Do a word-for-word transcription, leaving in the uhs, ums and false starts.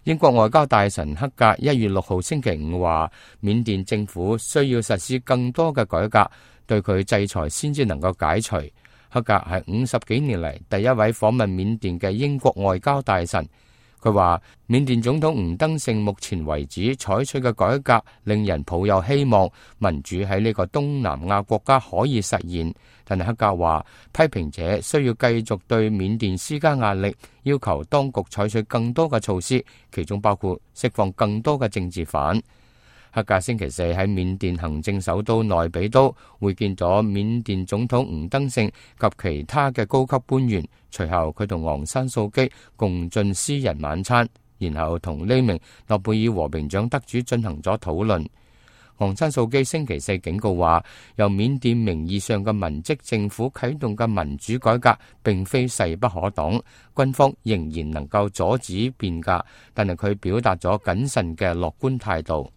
英國外交大臣克格一月六號星期五話，緬甸政府需要實施更多嘅改革，對佢制裁先至能夠解除。克格係五十幾年嚟第一位訪問緬甸嘅英國外交大臣。佢話緬甸總統吳登盛目前為止採取嘅改革令人抱有希望，民主喺呢個東南亞國家可以實現。但係克格話，批評者需要繼續對緬甸施加壓力，要求當局採取更多嘅措施，其中包括釋放更多嘅政治犯。克格星期四喺緬甸行政首都內比都會見咗緬甸總統吳登盛及其他嘅高級官員，隨後佢同昂山素基共進私人晚餐，然後同呢名諾貝爾和平獎得主進行咗討論。昂山素基星期四警告話，由緬甸名義上嘅文職政府啟動嘅民主改革並非勢不可擋，軍方仍然能夠阻止變革，但係佢表達咗謹慎嘅樂觀態度。